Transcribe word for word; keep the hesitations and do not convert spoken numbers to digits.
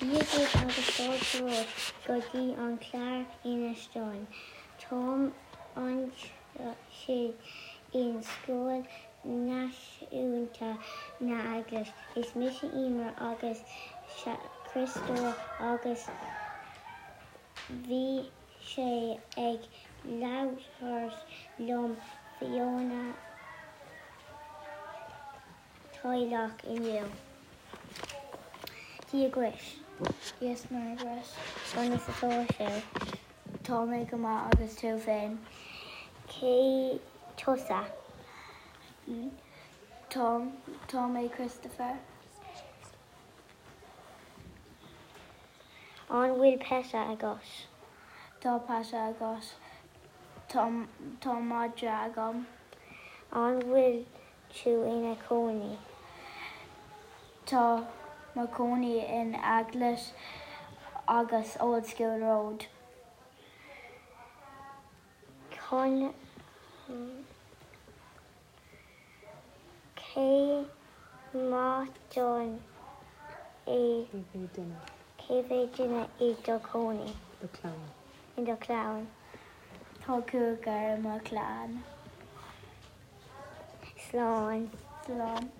Dia duit agus fáilte romhat go dtí an clár Inis Dúinn. Táim anseo in Scoil Náisiúnta na Eaglaise. Is mise Emer agus Criostóir agus bhí sé ag labhairt liom faoina teaghlach inniu. Dia dhuit. Yes Margaret. Conas atá sé? Tá mé go maith agus tú féin. Cé tusa? Tá tá mé Christopher. An bhfuil peata agat? Tá peata agat. Tá tá madra agam. An bhfuil tú ina cónaí? Tá mo cónaí in Eaglais agus Old School Road. Chun cé mhéad duine é cé mhéad duine i do chónaí? Do chlann. In do chlann. Tá cúigear i mo chlann. Slán. Slán.